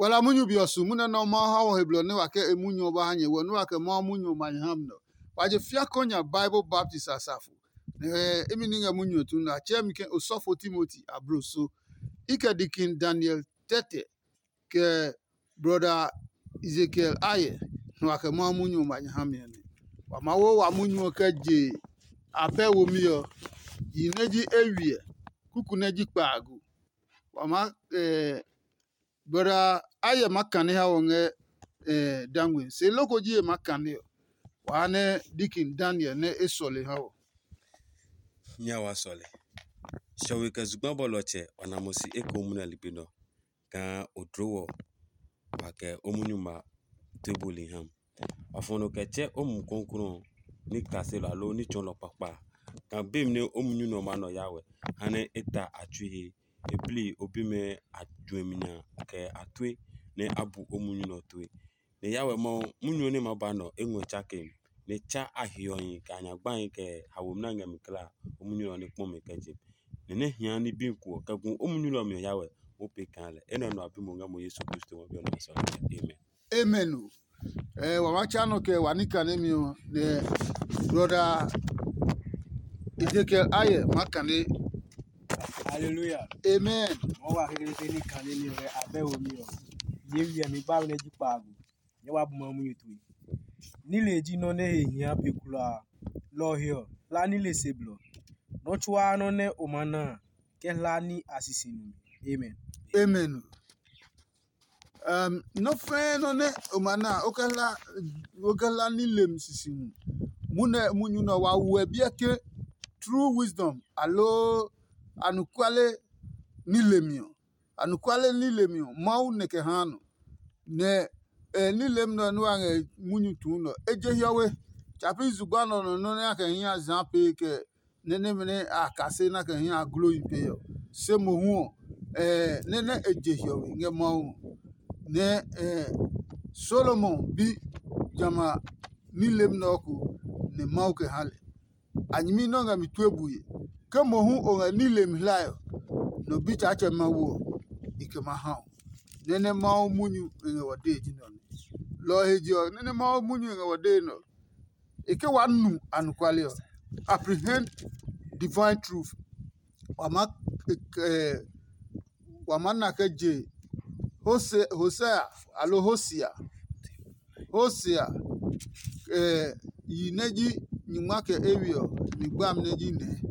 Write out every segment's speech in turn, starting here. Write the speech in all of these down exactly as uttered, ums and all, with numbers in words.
Wala munyu bi ɔ su munyu nɛ Mawu ha wɔ he blɔ nɛ wa kɛ e munyu ɔ ba ha nyɛ wɔ nɛ wa kɛ Mawu munyu ɔ ma nyɛ ha mi nɔ. Wa je fiakɔ nya Bible baptist asafo. Nɛ imi ní ngɛ munyu ɔ tu nɛ a tsɛɛ mi ke osɔfo Timoti abloso. I kɛ dikin Daniel tɛtɛ kɛ brɔda Ezekiel ayɛ nɛ wa kɛ Mawu munyu ɔ ma nyɛ ha mi ɔ nɛ. Wa ma wo wa munyu ɔ kɛ je abɛ womi ɔ, yi nɛ ji ewiɛ, kuku nɛ ji kpaago. Wa maa brɔda ayɛ maa kane ha wɔ ngɛ dangwe se loko ji e maa kane ɔ, wa ha nɛ dikin Daniel nɛ e sɔle ha wɔ. Nya wa sɔle. Shɔwe kɛ zugba bɔlɔtsɛ ɔ na mo si ekohu munɛ ligbi nɔ kaa o dlo wɔ wa kɛ o munyu ma tue buli ha. Wa fɔ nɔ kɛ tsɛ o mu kɔnklɔ ɔ ní kaselɔ aloo ní tsɔɔlɔ kpakpa a. Kaa be mi nɛ o munyu nɛ ɔ maa nɔ ya wɛ ha nɛ e ta a tsui he. E bli o bimɛ a juɛmi nya kɛ a tue nɛ a bu o munyu nɛ ɔ tue. Nɛ ya wɛ Mawu munyu ɔ nɛ ma ba nɔ e ngɔ tsake mi, nɛ tsa a hiɔhi kɛ a nya gbahi kɛ haomi nɛ a ngɛ mi kla a, o munyu ɔ nɛ kpɔ mi kɛ je mi. Nɛ nɛ hia ní bi ko ɔ kɛ gu o munyu ɔ mi ɔ ya wɛ, o pee kaa lɛ. Enɛ ɔ nɔ a bi mo ngɛ mo Yesu Kristo ngɔ bi ɔ nɔ sɔ. Amen. Amen o. Eh, wa ma tsa nɔ kɛ wa ní kanemi ɔ nɛ brɔda Ezekiel ayɛ ma kane. Hallelujah. Amen. Mo wa kekle ní kanemi ɔ abɛ wo mi ɔ. Ye wiɛ mi ba nɛ ji kpaagu. Nyɛ wa bu ma munyu tue. Nile ji nɔ nɛ he hia pe kulaa. Lɔ ɔ he ɔ, hla nile se blɔ. Nɔ́ tsuaa nɔ́ nɛ o ma na a, kɛ hla ní a sisi numi. Amen. Amen. Um, nɔ́ fɛ́ɛ́ nɔ́ nɛ o ma na a, o kɛ hla o kɛ hla ní lem sisi mu. Mu nɛ munyu nɛ wa wuɛ biɛ ke true wisdom aloo anɔkuale ní lemi ɔ. Anɔkuale ní lemi ɔ, Mawu nɛ kɛ haa nɔ. Nɛ e ní lemi nɛ ɔ nɛ wa ngɛ munyu tuu nɛ ɔ, e je hiɔwe. Tsa pi zugba nɛ ɔ nɔ nɔ́ nɛ a kɛ hi a zaa pee kɛ nɛ nɛmɛ nɛ a kase nɛ a kɛ hi a gloyi pee ɔ. Se mohu ɔ, nɛ nɛ e je hiɔwe ngɛ Mawu ngɔ. Nɛ Solomon bi jamɛ a ní lemi nɛ ɔ ko nɛ Mawu kɛ ha lɛ. A nyɛmi nɛ o ngɛ mi tue bue. Ke mohu o ngɛ ní lemi hlae ɔ, nɔ bitsaatsɛ Mawu ɔ, i kɛ ma ha o. Nɛ nɛ Mawu munyu e ngɛ wɔ dee ji nɛ ɔ nɛ. Lɔ ɔ he je ɔ, nɛ nɛ Mawu munyu e ngɛ wɔ dee nɛ ɔ, e ke wa nu anɔkuale ɔ, apprehend divine truth. Wa maa wa maa na kɛ je Hosea aloo Hosea. Hosea yi nɛ ji nyingma kɛ ewe ɔ, mi gbami nɛ ji nɛɛ.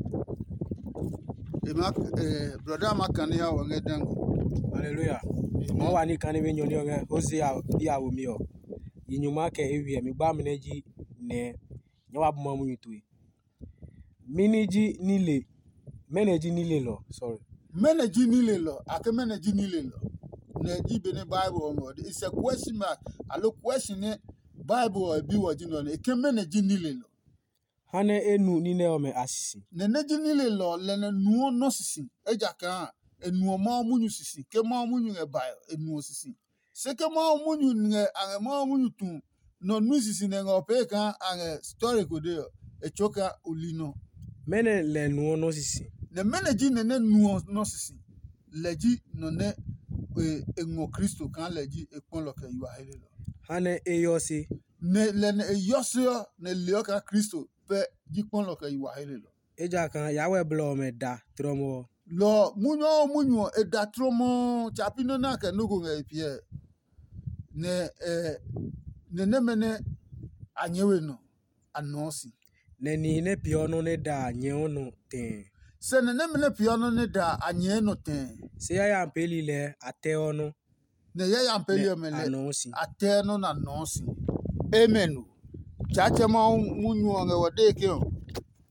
E ma brɔda ma kane ha wɔ ngɛ dango. Haleluya. Mɔ wa ni kane be nyɔ ni ɔ ngɛ Hosea bi a wo mi ɔ. Yi nyingma kɛ ewe ɔ, mi gbami nɛ ji nɛɛ. Nyɛ wa bu ma munyu tue. Mɛni ji nile? Mɛnɔ ji nilelɔ? Sorry. Mɛnɔ ji nilelɔ? A ke mɛnɔ ji nilelɔ? Nɛ ji be nɛ Bible ɔ ngɔ de. It's a question mark. Alo question nɛ Bible ɔ bi wɔ ji nɔ nɛ. E ke mɛnɔ ji nilelɔ? Ha nɛ e nu ní nɛ ɔmɛ a sisi. Nɛ nɛ ji nilelɔ lɛ nɛ nuɔ nɔ sisi. Ejakaa e nuɔ Mawu munyu sisi. Ke Mawu munyu ngɛ bae ɔ, e nuɔ sisi. Se ke Mawu munyu ngɛ a ngɛ Mawu munyu tu nɔ nui sisi nɛ ngɛ o pee kaa a ngɛ stɔre ko de ɔ, e tsɔɔ kaa o li nɔ. Mɛnɔ lɛ nuɔ nɔ sisi? Nɛ mɛnɔ ji nɛ nɛ nuɔ nɔ sisi? Lɛ ji nɔ nɛ e ngɔ Kristo kaa lɛ ji e kpɔlɔ kɛ yi wa helelɔ. Ha nɛ e yɔ se. Nɛ lɛ nɛ e yɔ se ɔ, nɛ leɔ kaa Kristo pɛ ji kpɔlɔ kɛ yi wa helelɔ. Ejakaa Yawɛ blɔ ɔmɛ da tlɔmɔ ɔ. Lɔ ɔ, munyu ɔ munyu ɔ, e da tlɔmɔ tsa pi nɔ́ nɛ a kɛ nɔ́ ko ngɛ e piɛ. Nɛ ɛ nɛ nɛmɛ nɛ a nyɛɛ we nɔ, a nɔɔ si. Nɛ nihi nɛ peeɔ nɔ́ nɛ da a nyɛɛɔ nɔ tɛɛ. Sɛ nɛ nɛmɛ nɛ peeɔ nɔ́ nɛ da a nyɛɛ nɔ tɛɛ. Se yayami peeli lɛɛ a tɛɔ nɔ́. Nɛ yayami peeli ɔmɛ lɛ a tɛɛ nɔ́ nɛ a nɔɔ si. Amen o. Tsaatsɛ Mawu munyu ɔ ngɛ wɔ dee ke ɔ,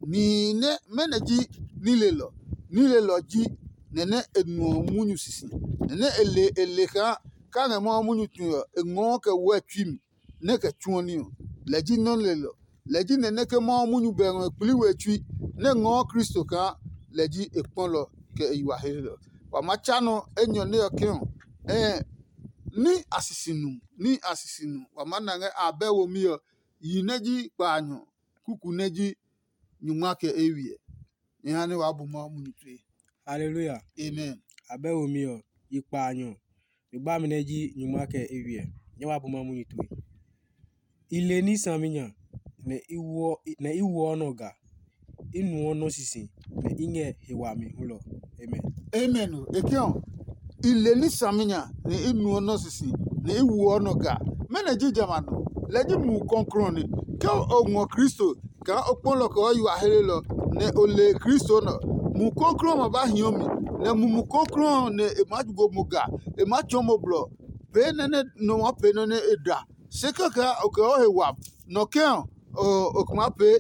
nihi nɛ mɛnɔ ji nilelɔ? Nilelɔ ji nɛ nɛ e nuɔ munyu sisi, nɛ nɛ e le e le kaa kaa ngɛ Mawu munyu tue ɔ, e ngɔɔ kɛ wɛ tsui mi, nɛ kɛ tsuɔ ní ɔ. Lɛ ji nɔ́ lelɔ. Lɛ ji nɛ nɛ ke Mawu munyu bɛ ngɔ e kpli we tsui, nɛ ngɔɔ Kristo kaa lɛ ji e kpɔlɔ kɛ e yi wa helelɔ. Wa ma tsa nɔ enyɔ nɛ ɔ ke ɔ, ɛɛ ní a sisi nu, ní a sisi nu. Wa ma na ngɛ abɛ womi ɔ, yi nɛ ji kpaanyɔ, kuku nɛ ji nyungma kɛ ewiɛ. Nyɛ ha nɛ waa bu Mawu munyu tue. Haleluya. Amen. Abɛ womi ɔ, yi kpaanyɔ, mi gbami nɛ ji nyuma kɛ eywiɛ, nyɛ wa bu ma munyu tue. I le ní saminya, nɛ i wuɔ nɔ ga, i nuɔ nɔ sisi, nɛ i ngɛ he wami hulɔ. Amen. Amen. E ke ɔ, i le ní saminya, nɛ i nuɔ nɔ sisi, nɛ i wuɔ nɔ ga. Mɛnɔ ji jamɛ a nɔ? Lɛ ji Mumi Klɔuklɔu ɔ nɛ. Ke o ngɔ Kristo kaa o kpɔ lɛ ɔ kɛ o yi wa hlelɔ, nɛ o le Kristo nɛ ɔ, Mumi Klɔuklɔu ɔ ma ba hiɔ mi, nɛ Mumi Klɔuklɔu ɔ nɛ e maa go mo ga, e maa tsɔɔ mo blɔ pee nɛ nɛ nɔ maa pee nɔ́ nɛ e da. Se kɛkɛ o kɛ o he wami nɔ kɛ̃ ɔ, o kɛ maa pee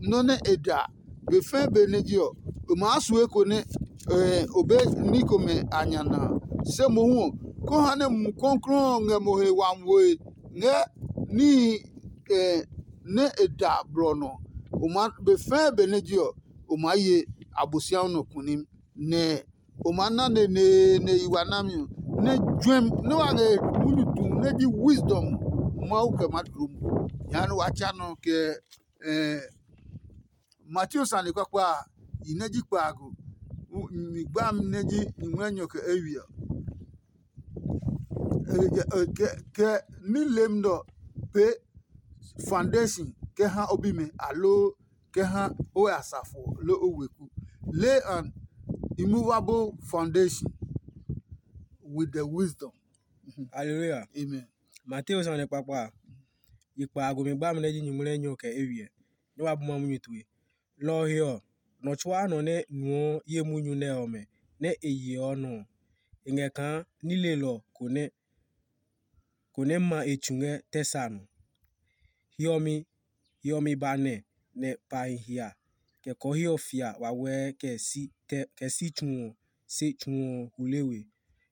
nɔ́ nɛ e da. Be fɛ̃ be nɛ je ɔ, o maa su eko nɛ o be ní komɛ a nya na a. Se mohu ɔ, kó ha nɛ Mumi Klɔuklɔu ɔ ngɛ mo he wami woe ngɛ níhi nɛ e da blɔ nɔ. O maa be fɛ̃ be nɛ je ɔ, o maa ye Abosiami nɔ kunim, nɛ o maa na neneene yi wa nami ɔ, nɛ juɛmi nɛ wa ngɛ munyu tu nɛ ji wisdom Mawu kɛ maa dloo mo. Jehanɛ wa tsa nɔ kɛ Mateo sane kpakpa a, yi nɛ ji kpaago, mi gbami nɛ ji nyumu enyɔ kɛ eywiɛ ɔ, kɛ nileem nɛ ɔ pee foundation kɛ ha o bimɛ, aloo kɛ ha o asafo ɔ, loo o weku. Lay an immovable foundation with the wisdom. Hallelujah. Amen. Mateo sane kpakpa a, yi kpaago mi gbami nɛ ji nyumu nɛ enyɔ kɛ eywiɛ, nɛ wa bu ma munyu tue. Lɔ ɔ he ɔ, nɔ tsuaa nɔ nɛ nuɔ ye munyu nɛ ɔmɛ nɛ e yeɔ nɔ ɔ, e ngɛ kaa nilelɔ ko nɛ ko nɛ ma e tsu ngɛ tɛ sa nɔ. Hiɔmi hiɔmi ba nɛ, nɛ pahi hia, kɛ kɔɔhiɔ fia wawɛɛ kɛ si tsu ɔ se tsu ɔ hule we,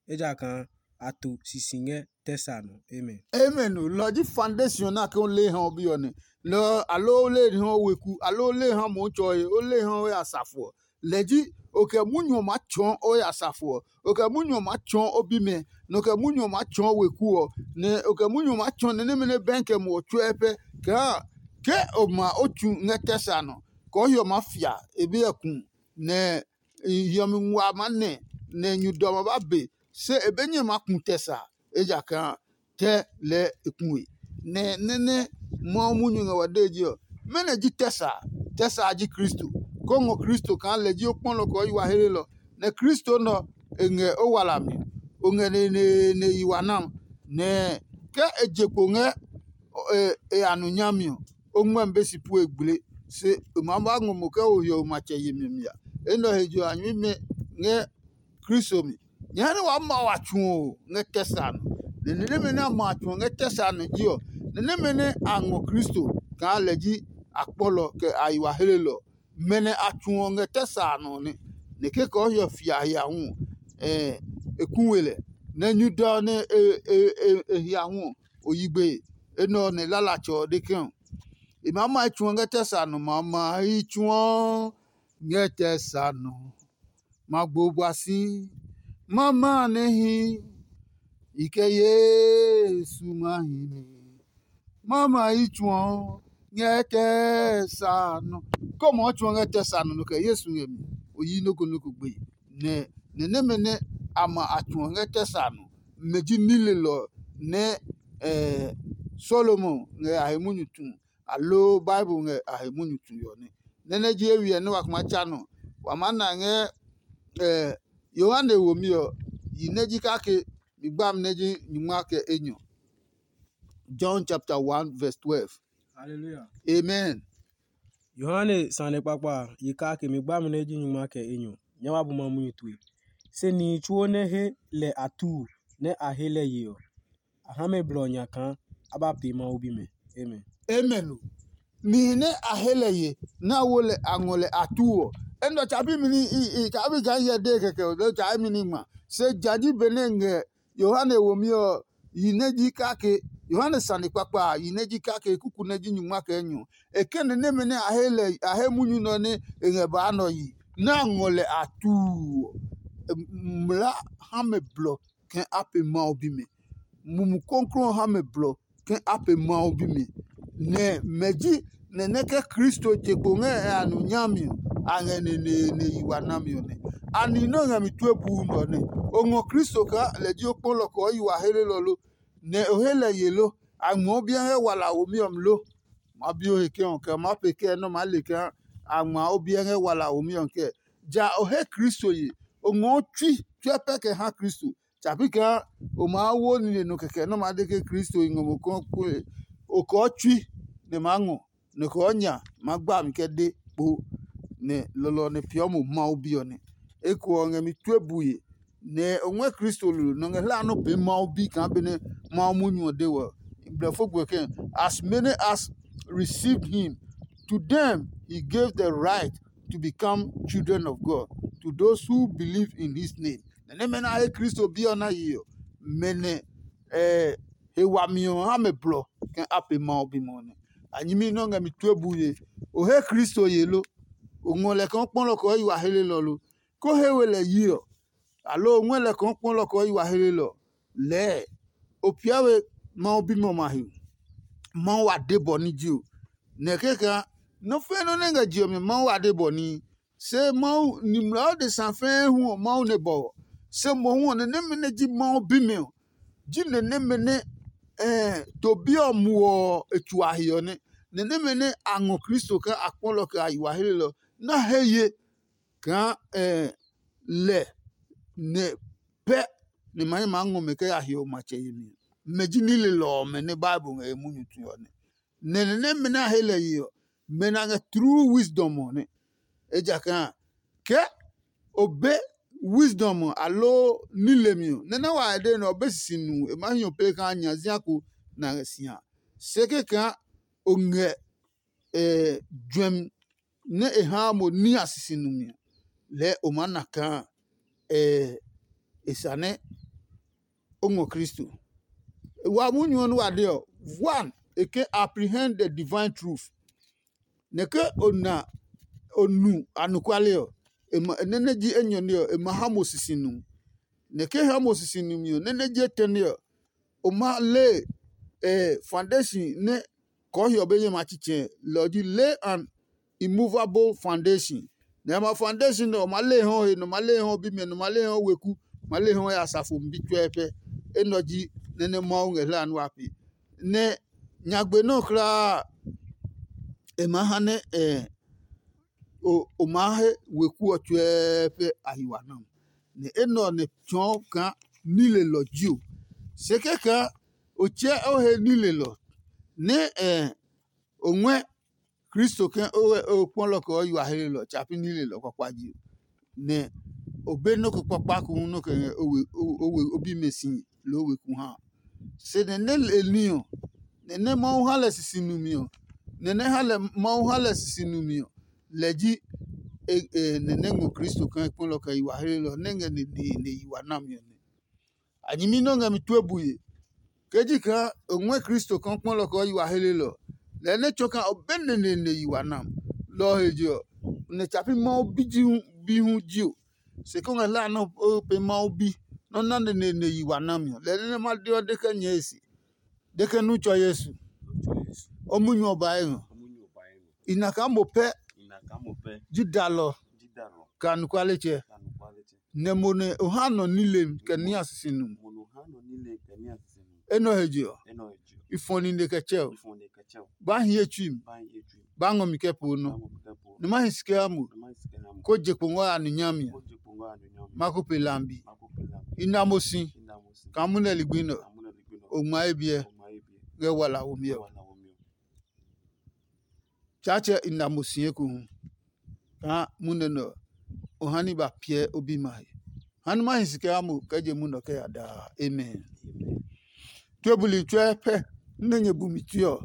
ejakaa a to sisi ngɛ tɛ sa nɔ. Amen. Amen. O lɔ ji foundation nɛ a ke o le ha o bi ɔ nɛ. Lɔ ɔ, aloo o le ha o weku, aloo o le ha Mɔɔtsɔɔe, o le ha o asafo ɔ. Lɛ ji o kɛ munyu ɔ maa tsɔɔ o asafo ɔ, o kɛ munyu ɔ maa tsɔɔ o bimɛ, nɛ o kɛ munyu ɔ maa tsɔɔ weku ɔ, nɛ o kɛ munyu ɔ maa tsɔɔ nɛ nɛmɛ nɛ bɛɛ kɛ muɔ tsuɛ pɛ kaa ke o ma o tsu ngɛ tɛ sa nɔ, kɔɔhiɔ maa fia e be ɔ ku, nɛ hiɔmi nguaa maa nɛ, nɛ nyu dɔ ma ba be, se e be nyɛ maa ku tɛ sa, ejakaa tɛ lɛɛ e ku we. Nɛ nɛ́ nɛ Mawu munyu ngɛ wa dee je ɔ, mɛnɔ ji tɛ sa? Tɛ sa ji Kristo. Kó ngɔ Kristo kaa lɛ ji o kpɔlɔ kɛ o yi wa helelɔ, nɛ Kristo nɛ ɔ e ngɛ o walami, o ngɛ neneene yi wa nam, nɛ ke e je kpo ngɛ e ya nu nyami ɔ, o ngmɛmi be si pu e gble, se e maa ba ngɔ mo kɛ o hiɔwe matsɛ yemi mi a. Enɛ ɔ he je ɔ a nyɛmimɛ ngɛ Kristo mi. Nyɛɛ nɛ waa ma wa tsu ɔ ngɛ tɛ sa nɔ. Nɛ ni nɛmɛ nɛ a ma a tsu ɔ ngɛ tɛ sa nɔ ji ɔ, ni nɛmɛ nɛ a ngɔ Kristo kaa lɛ ji a kpɔlɔ kɛ a yi wa helelɔ. Mɛ nɛ a tsu ɔ ngɛ tɛ sa nɔ nɛ, nɛ kekɔ hiɔ fia hia hu ɔ, e ku we lɛ. Nɛ nyu dɔ nɛ e hia hu ɔ, o yi gbe. Enɛ ɔ nɛ lalatsɛ ɔ de ke ɔ, e maa ma yi tsu ɔ ngɛ tɛ sa nɔ, ma ma yi tsu ɔ ngɛ tɛ sa nɔ. Ma gbo bua si, ma ma nɛ hi, i kɛ Yesu ma hi mi. Ma ma yi tsu ɔ ngɛ tɛ sa nɔ. Kɔmɔ ɔ tsu ɔ ngɛ tɛ sa nɔ nɔ kɛ Yesu ngɛ mi. O yi noko noko gbe. Nɛ nɛ nɛmɛ nɛ a ma a tsu ɔ ngɛ tɛ sa nɔ, mɛ ji nilelɔ nɛ Solomon ngɛ a he munyu tu, aloo Bible ngɛ a he munyu tue ɔ nɛ. Nɛ nɛ ji ewiɛ nɛ wa kuma tsa nɔ, wa maa na ngɛ Yohane womi ɔ, yi nɛ ji kake mi gbami nɛ ji nyungma kɛ enyɔ. John chapter one verse twelve. Hallelujah. Amen. Yohane sane kpakpa a, yi kake mi gbami nɛ ji nyungma kɛ enyɔ. Nyɛ wa bu ma munyu tue. Se nihi tsuo nɛ he lɛ a tuu nɛ a he lɛ ye ɔ, a ha mɛ blɔ nya kaa a ba pee Mawu bimɛ. Amen. Amen o. Nihi nɛ a he lɛ ye nɛ a wo lɛ a ngɔ lɛ a tuu ɔ, enɛ ɔ tsa bi mi ní i tsa bi kaa hyɛ dee kɛkɛ ɔ, loo tsa emi ní ngma. Se ja ji benɛ ngɛ Yohane womi ɔ, yi nɛ ji kake, Yohane sane kpakpa a, yi nɛ ji kake kuku nɛ ji nyungma kɛ enyɔ. E kɛ nɛ nɛmɛ nɛ a he lɛ a he munyu nɛ ɔ nɛ e ngɛ baa nɛ ɔ yi, nɛ a ngɔ lɛ a tuu ɔ, mla ha mɛ blɔ kɛ a pe Mawu bimɛ. Mumi klɔuklɔu ha mɛ blɔ kɛ a pe Mawu bimɛ. Nɛ mɛ ji nɛ nɛ ke Kristo je kpo ngɛ e a nu nyami ɔ, a ngɛ neneene yi wa nami ɔ nɛ. Ani nɛ o ngɛ mi tue buu nɛ ɔ nɛ? O ngɔ Kristo kaa lɛ ji o kpɔlɔ kɛ ɔ yi wa helelɔ lo, nɛ o he lɛ ye lo? A ngmɛɔ biɛ ngɛ wala womi ɔ mi lo? Ma bi o he kɛ ɔ kɛ ma pe kɛ nɛ o maa le kaa a ngma o biɛ ngɛ wala womi ɔ kɛ. Ja o he Kristo ye, o ngɔɔ tsui tsuɛ pɛ kɛ ha Kristo. Tsa pi kaa o maa wo nine nɔ kɛkɛ nɛ o maa de ke Kristo i ngɔ mo kɔɔkɔɔe. O kɔɔ tsui nɛ maa ngɔ, nɛ o kɔɔ nya maa gba mi kɛ de kpo, nɛ lɔlɔ ɔ nɛ peeɔ mo Mawu Bi ɔ nɛ. Eko ɔ ngɛ mi tue bue, nɛ o ngɔɛ Kristo lolo nɔ ngɛ hlaa nɔ́ pee Mawu Bi kaa benɛ Mawu munyu ɔ de wɔ. Blɛfo gbe kɛ, "As many as received him, to them he gave the right to become children of God, to those who believe in his name." Nɛ nɛmɛ nɛ a he Kristo Bi ɔ na ye ɔ, mɛ nɛ ɛ he wami ɔ ha mɛ blɔ kɛ a pe Mawu bimɛ ɔ nɛ. A nyɛmi nɛ o ngɛ mi tue bue, o he Kristo ye lo? O ngɔ lɛ kaa o kpɔlɔ kɛ ɔ yi wa helelɔ lo? Ko he we lɛ yi ɔ, aloo o ngɔɛ lɛ kaa o kpɔlɔ kɛ ɔ yi wa helelɔ? Lɛɛ o piɛ we Mawu bimɛ ɔmɛ a he. Mawu wa de bɔ ní ji o, nɛ kɛkaa nɔ́ fɛ́ nɔ́ nɛ ngɛ je ɔ mi Mawu wa de bɔ ní. Se Mawu nimla adesa fɛɛ hu ɔ Mawu nɛ bɔ ɔ. Se mohu ɔ nɛ nɛmɛ nɛ ji Mawu bimɛ ɔ, ji nɛ nɛmɛ nɛ to bi ɔ muɔ ɔ e tsu a he ɔ nɛ. Nɛ nɛmɛ nɛ a ngɔ Kristo kaa a kpɔlɔ kɛ a yi wa helelɔ na he ye kaa lɛ nɛ pɛ nɛ ma nɛ maa ngɔ mɛ kɛ ya he ɔ matsɛ yemi ɔ. Mɛ ji nilelɔ ɔmɛ nɛ Bible ngɛ e munyu tue ɔ nɛ. Nɛ nɛ nɛmɛ nɛ a he lɛ ye ɔ, mɛ nɛ a ngɛ true wisdom ɔ nɛ. Ejakaa kɛ o be wisdom ɔ aloo nilemi ɔ, nɛ nɛ wa e de nɛ ɔ be sisi nu e maa hi ɔ pee kaa nya zia ko nɛ a ngɛ si ha. Se kɛkaa o ngɛ juɛmi nɛ e haa mo ní a sisi nu mi ɔ, lɛɛ o maa na kaa e sane o ngɔ Kristo. Wa munyu ɔ nɛ wa de ɔ, one, e ke apprehend the divine truth. Nɛ ke o na o nu anɔkuale ɔ, e ma nɛ nɛ ji enyɔ nɛ ɔ, e ma ha mo sisi nu. Nɛ ke ha mo sisi nu mi ɔ, nɛ nɛ ji etɛ nɛ ɔ, o ma le eh, foundation nɛ kɔɔ hiɔ be nyɛ ma tsitsɛ lɛ ɔ ji lay an immovable foundation. Nɛ ma foundation nɛ ɔ ma le hɔ he nɔ ma le hɔ bimɛ nɔ ma le hɔ weku ma le hɔ ya asafo bi tsuɛ pɛ. Enɛ ɔ ji nɛ nɛ Mawu ngɛ hla nua pe. Nɛ nyagbe nɔ kulaa e ma ha nɛ eh, o o maa he weku ɔ tsuɛɛ pɛ a yi wa nɔ. Nɛ enɛ ɔ nɛ tsɔɔ kaa nilelɔ ji o. Se kɛkaa o tsɛ o he nilelɔ nɛ eh, o ngɔɛ Kristo ke o kpɔlɔ kɛ o yi wa helelɔ tsa pi nilelɔ kpakpa ji o. Nɛ o be nɔ́ ko kpakpa ko hu nɔ́ kɛ ngɛ o we o we o bimɛ si loo weku ha. Se nɛ nɛ e ní ɔ, nɛ nɛ Mawu ha lɛ sisi numi ɔ, nɛ nɛ ha lɛ Mawu ha lɛ sisi numi ɔ, lɛ ji e e nɛ nɛ ngɔ Kristo kaa e kpɔlɔ kɛ yi wa helelɔ nɛ ngɛ neneene yi wa nami ɔ nɛ. A nyɛmi nɛ o ngɛ mi tue bue. Ke ji kaa o ngɔɛ Kristo kaa o kpɔlɔ kɛ o yi wa helelɔ, lɛɛ nɛ tsɔɔ kaa o be neneene yi wa nam. Lɔ ɔ he je ɔ, nɛ tsa pi Mawu bi ji hu bi hu ji o. Se kɛ o ngɛ hlaa nɛ o pee Mawu bi nɛ o na neneene yi wa nami ɔ, lɛɛ nɛ ma de ɔ de kɛ nyɛɛ e se. De kɛ nu tsɔ Yesu. O munyu ɔ ba e ngɔ. I na kaa mo pɛ ji dalɔ kɛ anɔkualetsɛ. Nɛ mo nɛ o ha nɔ nilem kɛ ní a sisi nu. Enɛ ɔ he je ɔ, i fɔ nine kɛ tsɛ o. Ba hi ye tsui mi. Ba ngɔ mi kɛ po nɔ. Nɛ ma hi si kɛ ha mo. Ko je kpo ngɔ ya nu nyami ɔ. Ma ko pe lambi. I na mo si. Kaa munɛ ligbi nɛ ɔ, o ngma ye biɛ ngɛ wala womi ɔ. Tsaatsɛ i na mo si ekohu. Kaa munɛ nɛ ɔ, o ha ní ba piɛ o bima he. Ha ní ma hi si kɛ ha mo kɛ je munɛ ɔ kɛ ya daa. Amen. Tue buli tsuɛ pɛ nɛ nyɛ bu mi tue ɔ,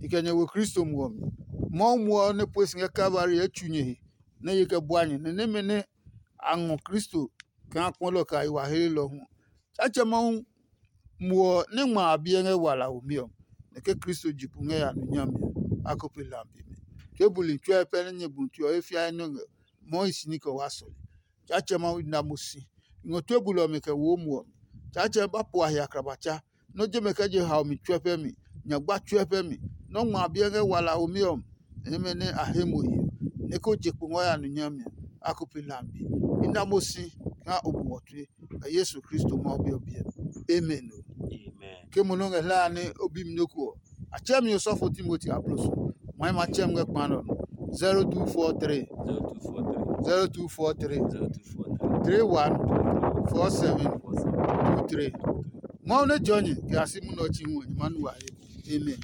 i kɛ nyɛ wo Kristo muɔ mi. Mawu muɔ ɔ nɛ pue si ngɛ Kalvari ɛ tsu nyɛ he nɛ ye kɛ bua nyɛ nɛ nɛmɛ nɛ a ngɔ Kristo kaa kpɔlɔ kɛ a yi wa helelɔ hu. Tsaatsɛ Mawu muɔ ɔ nɛ ngma a biɛ ngɛ wala womi ɔ, nɛ ke Kristo ji pu ngɛ ya nu nyami ɔ, a ko pe lambi mi. Tue buli tsuɛ pɛ nɛ nyɛ bu tue ɔ he fiae nɛ ngɛ Mawu hi si ní kɛ waa sɔle. Tsaatsɛ Mawu na mo si. I ngɔ tue buli ɔmɛ kɛ wo muɔ mi. Tsaatsɛ ba po a he akrabatsa. Nɔ́ jemɛ kɛ je haomi tsuɛ pɛ mi, nyagba tsuɛ pɛ mi. Nɔ́ ngma a biɛ ngɛ wala womi ɔ, nɛmɛ nɛ a he mo ye ɔ. nɛ ko je kpo ngɔ ya nu nyami a ko pe lambi. I na mo si kaa o bu wɔ tue. Kɛ Yesu Kristo Mawu Bi ɔ biɛ. Amen. Ke mo nɔ ngɛ hlaa nɛ o bi mi nɔ́ ko ɔ, a tsɛ mi osɔfo Timoti aplo so. Mɔɛ ma tsɛ mi ngɛ kpa nɔ. zero two four three zero two four three zero two four three zero two four three three one four seven two three. Mawu nɛ jɔ nyɛ kɛ a si munɔ ɔ tsi hu ɔ, nyɛ ma nu wa he. Amen.